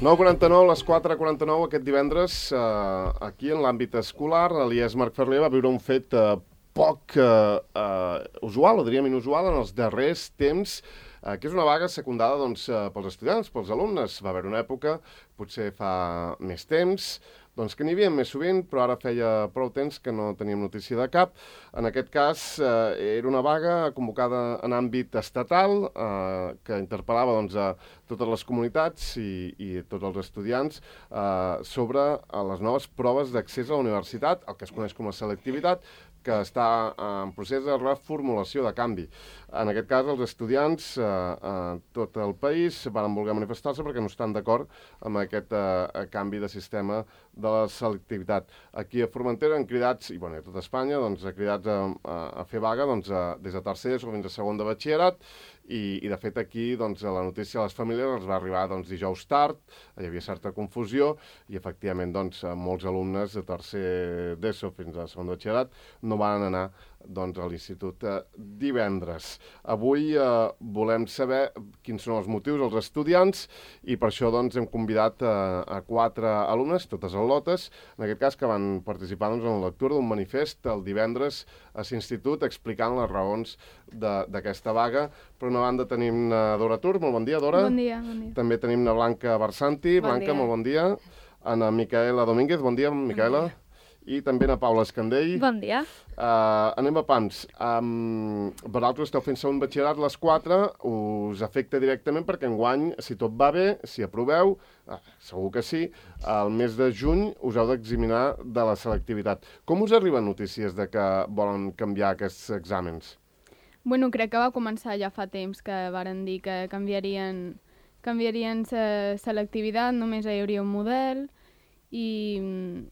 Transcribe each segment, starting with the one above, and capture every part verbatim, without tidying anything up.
nou quaranta-nou, les quatre quaranta-nou aquest divendres, eh, aquí en l'àmbit escolar, l'I E S Marc Ferrer va viure un fet eh, poc eh, eh, usual, o diríem inusual, en els darrers temps, eh, que és una vaga secundada doncs, eh, pels estudiants, pels alumnes. Va haver una època, potser fa més temps, doncs que n'hi havia més sovint, però ara feia prou temps que no teníem notícia de cap. En aquest cas, eh, era una vaga convocada en àmbit estatal, eh, que interpel·lava doncs, a totes les comunitats i, i tots els estudiants eh, sobre les noves proves d'accés a la universitat, el que es coneix com a selectivitat, que està en procés de reformulació, de canvi. En aquest cas, els estudiants eh, a tot el país van voler manifestar-se perquè no estan d'acord amb aquest eh, canvi de sistema de la selectivitat. Aquí a Formentera han cridats, i bueno, a tot Espanya, doncs, ha cridats a, a, a fer vaga doncs, a, des de tercer o fins a segon de batxillerat, i, i de fet aquí doncs, la notícia a les famílies els va arribar doncs, dijous tard, hi havia certa confusió, i efectivament doncs, molts alumnes de tercer d'ESO fins a segon de batxillerat no van anar doncs, a l'institut eh, divendres. Avui eh, volem saber quins són els motius dels estudiants i per això doncs, hem convidat eh, a quatre alumnes, totes al·lotes, en aquest cas que van participar doncs, en la lectura d'un manifest el divendres a l'institut explicant les raons d'aquesta vaga. Per una banda tenim na Dora Tur, molt bon dia, Dora. Bon dia, bon dia. També tenim na Blanca Barsanti. Bon Blanca, dia. molt bon dia. Ana Micaela Domínguez, bon dia, Micaela. Bon dia. I també na Paula Escandell. Bon dia. Uh, anem a pams. Um, vosaltres esteu fent segon batxillerat les quatre, us afecta directament perquè enguany, si tot va bé, si aproveu, uh, segur que sí, al mes de juny us heu d'examinar de la selectivitat. Com us arriben notícies de que volen canviar aquests exàmens? Bueno, crec que va començar ja fa temps que varen dir que canviarien, canviarien la selectivitat, només hi hauria un model i...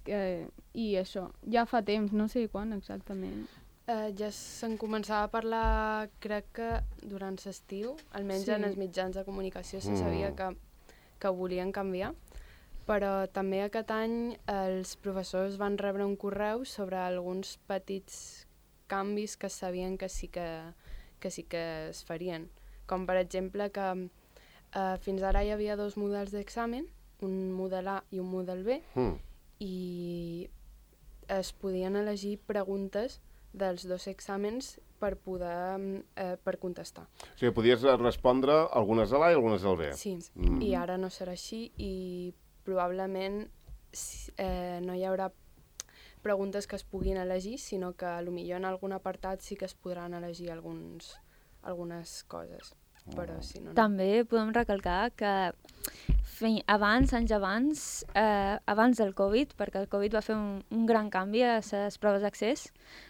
Que, i això, ja fa temps, no sé quan exactament. Uh, ja se'n començava a parlar, crec que durant l'estiu, almenys Sí. en els mitjans de comunicació se Mm. sabia que, que ho volien canviar, però també aquest any els professors van rebre un correu sobre alguns petits canvis que sabien que sí que, que, sí que es farien. Com per exemple que uh, fins ara hi havia dos models d'examen, un model A i un model B, Mm. i es podien elegir preguntes dels dos exàmens per poder eh, per contestar. O sigui, podies respondre algunes a l'A i algunes al B. Sí, Mm. i ara no serà així i probablement eh, no hi haurà preguntes que es puguin elegir, sinó que potser en algun apartat sí que es podran elegir alguns, algunes coses. Però si no, no. També podem recalcar que fe- abans, anys abans, eh, abans del Covid, perquè el Covid va fer un, un gran canvi a les proves d'accés,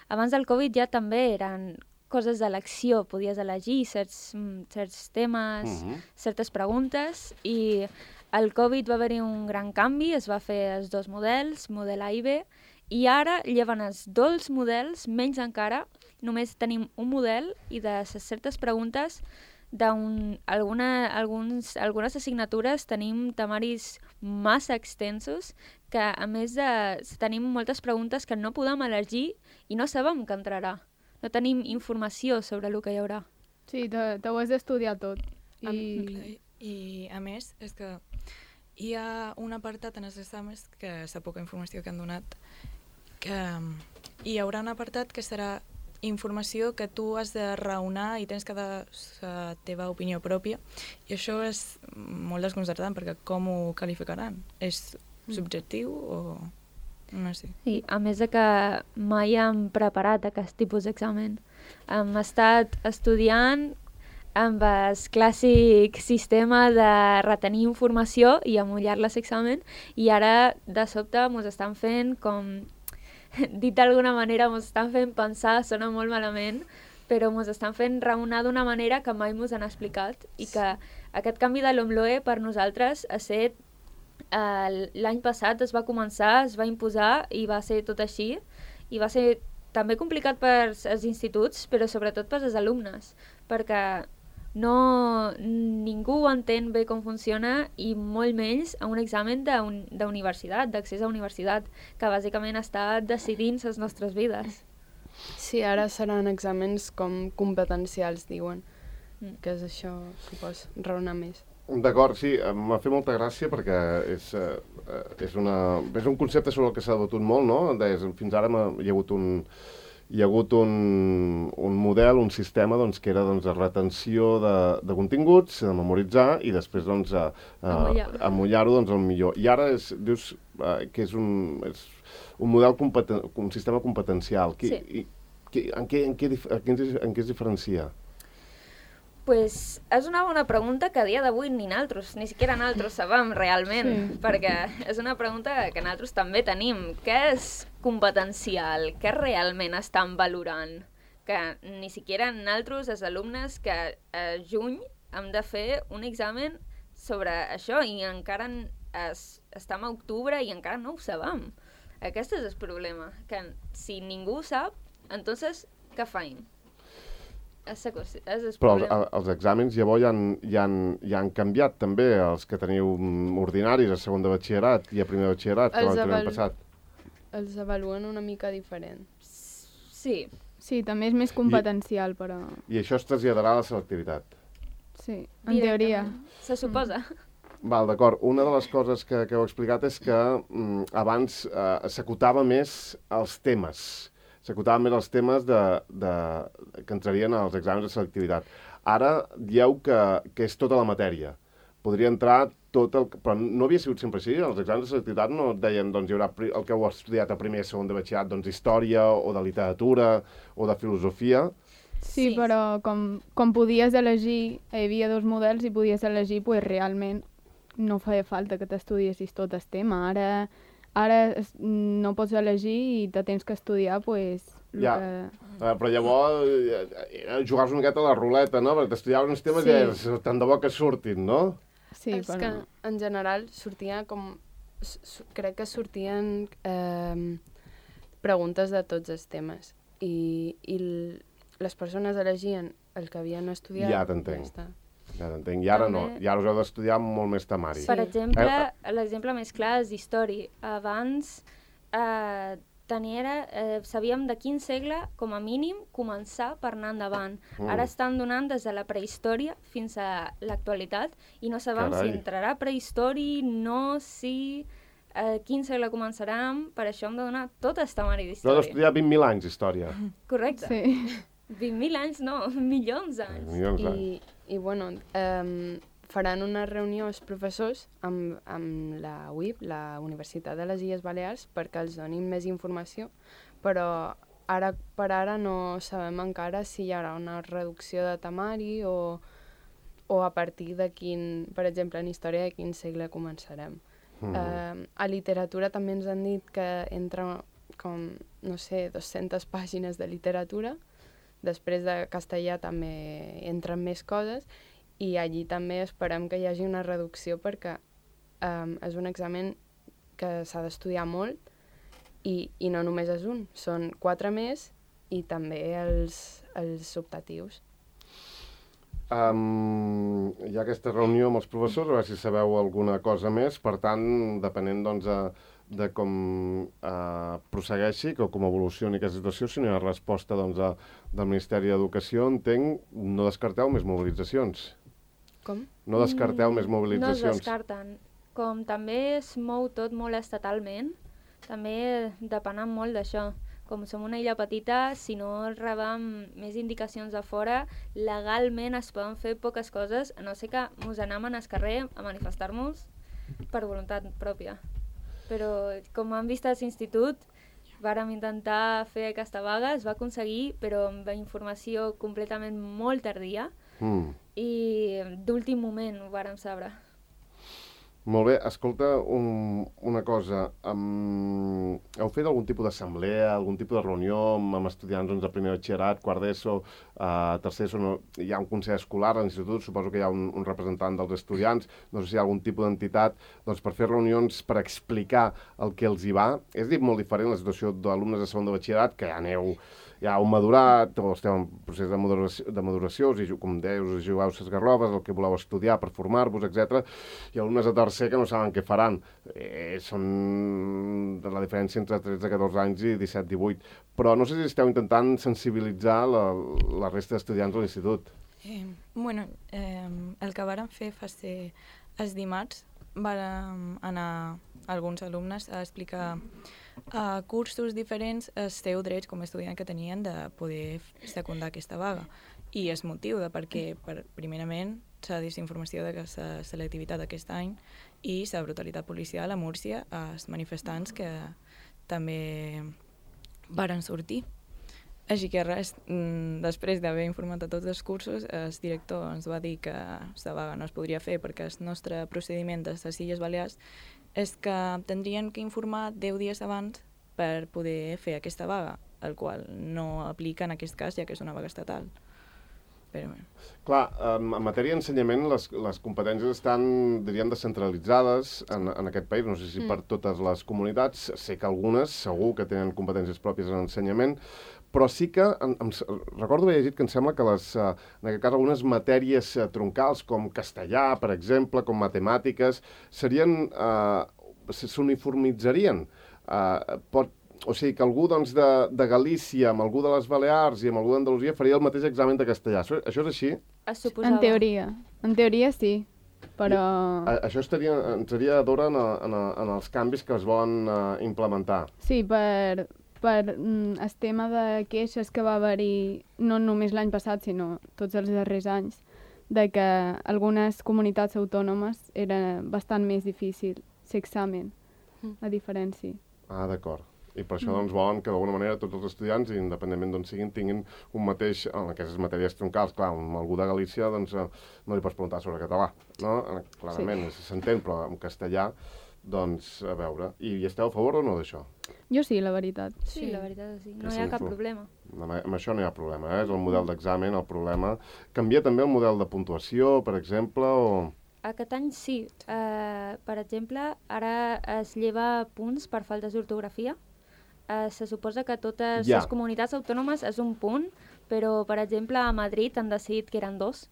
abans del Covid ja també eren coses d'elecció, podies elegir certs, mm, certs temes, Mhm. certes preguntes, i al Covid va haver-hi un gran canvi, es va fer els dos models, model A i B, i ara lleven els dos models, menys encara, només tenim un model i de les certes preguntes d'alguna alguns algunes assignatures tenim temaris massa extensos que a més de tenim moltes preguntes que no podem elegir i no sabem què entrarà. No tenim informació sobre el que hi haurà. Sí, te, te ho has d'estudiar tot. I... I, I a més, és que hi ha un apartat en els exàmens, que és la poca informació que han donat, que hi haurà un apartat que serà informació que tu has de raonar i tens que dar la teva opinió pròpia, i això és molt desconcertant perquè com ho qualificaran? És subjectiu o no sé? Sí, a més de que mai hem preparat aquest tipus d'examen. Hem estat estudiant amb el clàssic sistema de retenir informació i amollar-la a l'examen, i ara de sobte ens estan fent com... dit d'alguna manera, ens estan fent pensar, sona molt malament, però ens estan fent raonar d'una manera que mai ens han explicat, i que aquest canvi de l'OMLOE per nosaltres ha set eh, l'any passat es va començar, es va imposar i va ser tot així, i va ser també complicat per als instituts, però sobretot per als alumnes, perquè no, ningú entén bé com funciona, i molt menys a un examen d'universitat, d'accés a universitat, que bàsicament està decidint les nostres vides. Sí, ara seran exàmens com competencials, diuen, Mm. que és això que pots raonar més. D'acord, sí, m'ha fet molta gràcia perquè és, eh, és, una, és un concepte sobre el que s'ha debatut molt, no? Des, fins ara hi ha hagut un, hi ha hagut un, un model, un sistema doncs, que era doncs, de retenció de, de continguts, de memoritzar i després doncs, a, a, amollar-ho doncs, el millor. I ara és, dius eh, que és un, és un model, competen, un sistema competencial. Qui, sí. i, qui, en, què, en, què, en, què, en què es diferencia? Pues és una bona pregunta que a dia d'avui ni naltros, ni siquiera naltros sabem realment, sí. perquè és una pregunta que naltros també tenim. Què és competencial? Què realment estan valorant? Que ni siquiera naltros, els alumnes, que a juny hem de fer un examen sobre això i encara es, estem a octubre i encara no ho sabem. Aquest és el problema, que si ningú ho sap, entonces què faim? És, és Però els, els exàmens llavors ja han, ja, han, ja han canviat també, els que teniu ordinaris a segon de batxillerat i a primer de batxillerat, que l'any avalu... passat. Els avaluen una mica diferent. Sí. Sí, també és més competencial, I, però... I això es traslladarà a la selectivitat. Sí, en teoria. Se suposa. Mm. Val, d'acord. Una de les coses que, que heu explicat és que mm, abans eh, s'acotava més els temes. S'acotaven més els temes de, de, que entrarien als exàmens de selectivitat. Ara dieu que, que és tota la matèria. Podria entrar tot el... Però no havia sigut sempre així. Els exàmens de selectivitat no et deien doncs, hi haurà el que heu estudiat a primer i segon de batxillerat, doncs història o de literatura o de filosofia. Sí, sí. Però com, com podies elegir, hi havia dos models i podies elegir, pues, realment no feia falta que t'estudiessis tot el tema. Ara... Ara no pots elegir i te tens que estudiar, pues... Ja, que... uh, però llavors uh, jugaves una miqueta a la ruleta, no? Perquè t'estudiaves uns temes sí. i és, tant de bo que surtin, no? Sí, és però... que en general sortia com... Crec que sortien eh, preguntes de tots els temes i, i les persones elegien el que havien estudiat. Ja t'entenc. Ja Ja t'entenc. I ara també... no. I ara us heu d'estudiar molt més temari. Per exemple, eh? l'exemple més clar és història. Abans eh, tenia, eh, sabíem de quin segle, com a mínim, començar per anar endavant. Mm. Ara estan donant des de la prehistòria fins a l'actualitat i no sabem Carai. si entrarà prehistòria, no, si... Eh, quin segle començarem, per això hem de donar tot el temari d'història. Heu d'estudiar vint mil anys d'història. Correcte. Sí. vint mil anys no, milions d'anys. Milions d'anys. I, i bueno, eh, faran una reunió els professors amb, amb la U I B, la Universitat de les Illes Balears, perquè els donin més informació, però ara per ara no sabem encara si hi haurà una reducció de temari o, o a partir de quin, per exemple, en història de quin segle començarem. Mm. Eh, a literatura també ens han dit que entra com, no sé, dues-centes pàgines de literatura. Després de castellà també entren més coses i allí també esperem que hi hagi una reducció perquè um, és un examen que s'ha d'estudiar molt i, i no només és un, són quatre més i també els, els optatius. Um, hi ha aquesta reunió amb els professors, a veure si sabeu alguna cosa més, per tant, depenent doncs, a, de com eh, prossegueixi, que com evolucioni aquesta situació, si no hi ha resposta doncs, a, del Ministeri d'Educació, entenc, no descarteu més mobilitzacions. Com? No descarteu mm, més mobilitzacions. No es descarten. Com també es mou tot molt estatalment, també depenent molt d'això. Com som una illa petita, si no rebem més indicacions de fora, legalment es poden fer poques coses, a no ser que ens anem al carrer a manifestar-nos per voluntat pròpia. Però com hem vist a l'institut, vàrem intentar fer aquesta vaga, es va aconseguir, però amb informació completament molt tardia mm. i d'últim moment ho vàrem saber. Molt bé, escolta, un, una cosa, um, heu fet algun tipus d'assemblea, algun tipus de reunió amb, amb estudiants doncs, de primer batxillerat, quart d'ESO, uh, tercer ESO, no, hi ha un consell escolar a l'institut, suposo que hi ha un, un representant dels estudiants, no sé si hi ha algun tipus d'entitat, doncs per fer reunions per explicar el que els hi va. És dit molt diferent la situació d'alumnes de segon de batxillerat, que ja aneu... ja heu madurat, o esteu en procés de maduració, de maduració us, com dèieu, us jugueu les garroves, el que voleu estudiar per formar-vos, etcètera. I alumnes de tercer que no saben què faran. Eh, són de la diferència entre tretze a catorze anys i disset a divuit. Però no sé si esteu intentant sensibilitzar la, la resta d'estudiants de l'institut. Eh, bueno, eh, el que vàrem fer fa ser els dimarts, vàrem anar alguns alumnes a explicar a cursos diferents els seus drets com a estudiant que tenien de poder secundar aquesta vaga. I el motiu de per què, per, primerament, la desinformació de la selectivitat d'aquest any i la brutalitat policial a Múrcia, als manifestants que també varen sortir. Així que res, després d'haver informat a tots els cursos, el director ens va dir que la vaga no es podria fer perquè el nostre procediment de les Illes Balears és que tindrien que informar deu dies abans per poder fer aquesta vaga, el qual no aplica en aquest cas, ja que és una vaga estatal. Però, bueno. Clar, en matèria d'ensenyament les, les competències estan, diríem, descentralitzades en, en aquest país, no sé si mm. per totes les comunitats, sé que algunes segur que tenen competències pròpies en ensenyament, però sí que, em, em, recordo haver llegit que em sembla que les, eh, en aquest cas algunes matèries eh, troncals com castellà, per exemple, com matemàtiques, serien, eh, s'uniformitzarien. Eh, pot, o sigui, que algú doncs, de, de Galícia, amb algú de les Balears i amb algú d'Andalusia faria el mateix examen de castellà. Això, això és així? Es suposava. En teoria. En teoria sí, però... I, a, això estaria, ens seria d'hora en, en, en els canvis que es volen uh, implementar. Sí, per, per mm, el tema de queixes que va haver-hi no només l'any passat, sinó tots els darrers anys, de que algunes comunitats autònomes era bastant més difícil l'examen, a diferència. Ah, d'acord. I per això doncs, volen que d'alguna manera tots els estudiants, independentment d'on siguin, tinguin un mateix, en aquestes matèries troncals. Clar, amb algú de Galícia doncs, no li pots preguntar sobre català, no? Clarament, sí. S'entén, però en castellà, doncs, a veure. I, I esteu a favor o no d'això? Jo sí, la veritat. Sí, la veritat sí. No hi ha cap problema. Amb, amb això no hi ha problema, eh? És el model d'examen el problema. Canvia també el model de puntuació, per exemple, o... Aquest any sí. Uh, per exemple, ara es lleva punts per faltes d'ortografia. Uh, se suposa que totes ja. les comunitats autònomes és un punt, però, per exemple, a Madrid han decidit que eren dos,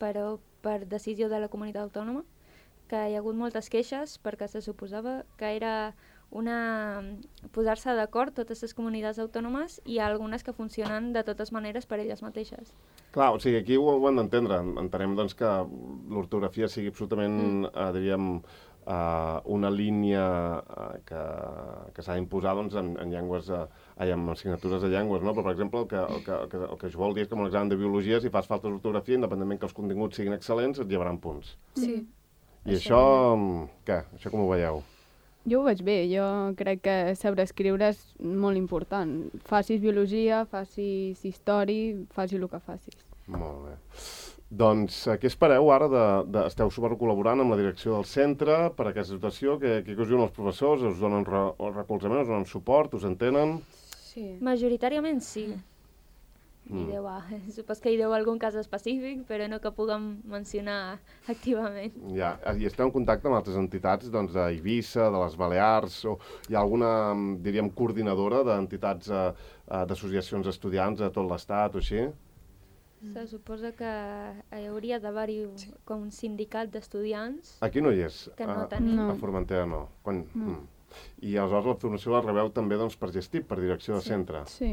però per decisió de la comunitat autònoma, que hi ha hagut moltes queixes perquè se suposava que era una posar-se d'acord totes les comunitats autònomes i hi ha algunes que funcionen de totes maneres per elles mateixes. Clar, o sigui, aquí ho, ho hem d'entendre. Entenem doncs, que l'ortografia sigui absolutament, mm. eh, diríem, Uh, una línia uh, que, que s'ha d'imposar doncs, en, en llengües, uh, en assignatures de llengües, no? Però, per exemple, el que, el, que, el, que, el que això vol dir és que en un examen de biologia, si fas falta d'ortografia, independentment que els continguts siguin excel·lents, et llevaran punts. Sí. I això, això què? Això com ho veieu? Jo ho veig bé, jo crec que saber escriure és molt important. Facis biologia, facis història, facis el que facis. Molt bé. Doncs, què espereu ara? De, de, esteu supercol·laborant amb la direcció del centre per a aquesta situació? Què, què us diuen els professors? Us donen re, recolzament, us donen suport, us entenen? Sí. Majoritàriament sí. Mm. I deu, ah, supos que hi deu algun cas específic, però no que puguem mencionar activament. Ja, i esteu en contacte amb altres entitats doncs, d'Eivissa, de les Balears, o hi ha alguna, diríem, coordinadora d'entitats, eh, d'associacions d'estudiants de tot l'estat o així? Se suposa que hi hauria d'haver-hi sí. com un sindicat d'estudiants. Aquí no hi és. Que no a, tenim. No. A Formentera no. Quan... no. Mm. I aleshores la formació la rebeu també doncs, per Gestip, per direcció de Sí. centre. Sí.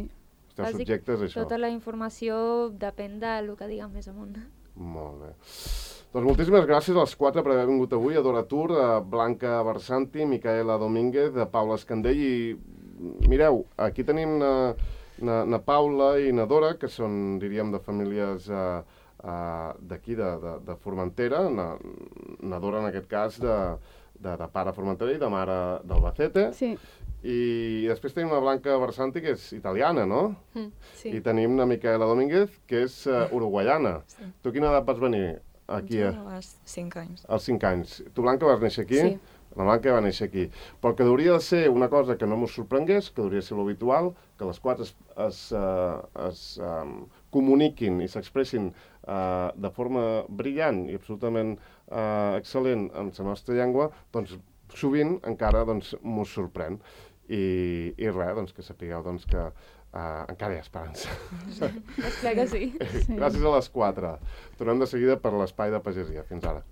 Esteu Bàsic, subjectes a això. Tota la informació depèn del que diguem més amunt. Molt bé. Doncs moltíssimes gràcies a les quatre per haver vingut avui, a Dora Tur, a Blanca Barsanti, Micaela Domínguez, a Paula Escandell i mireu, aquí tenim na, na, na Paula i na Dora, que són, diríem, de famílies uh, uh, d'aquí, de, de, de Formentera, na, na Dora en aquest cas de, de, de pare Formentera i de mare d'Albacete. Sí. I després tenim la Blanca Barsanti, que és italiana, no? Mm, sí. I tenim la Micaela Domínguez, que és uh, uruguaiana. Sí. Tu a quina edat vas venir aquí? Jo als cinc anys. Als cinc anys. Tu, Blanca, vas néixer aquí? Sí. La Blanca va néixer aquí. Però el que hauria de ser una cosa que no ens sorprengués, que hauria de ser l'habitual, que les quatre es, es, uh, es um, comuniquin i s'expressin uh, de forma brillant i absolutament uh, excel·lent en la nostra llengua, doncs sovint encara doncs, mos sorprèn. I, i res, doncs, que sapigueu doncs, que uh, encara hi ha esperança. És clar que sí. Sí. Gràcies a les quatre. Tornem de seguida per l'espai de pagesia. Fins ara.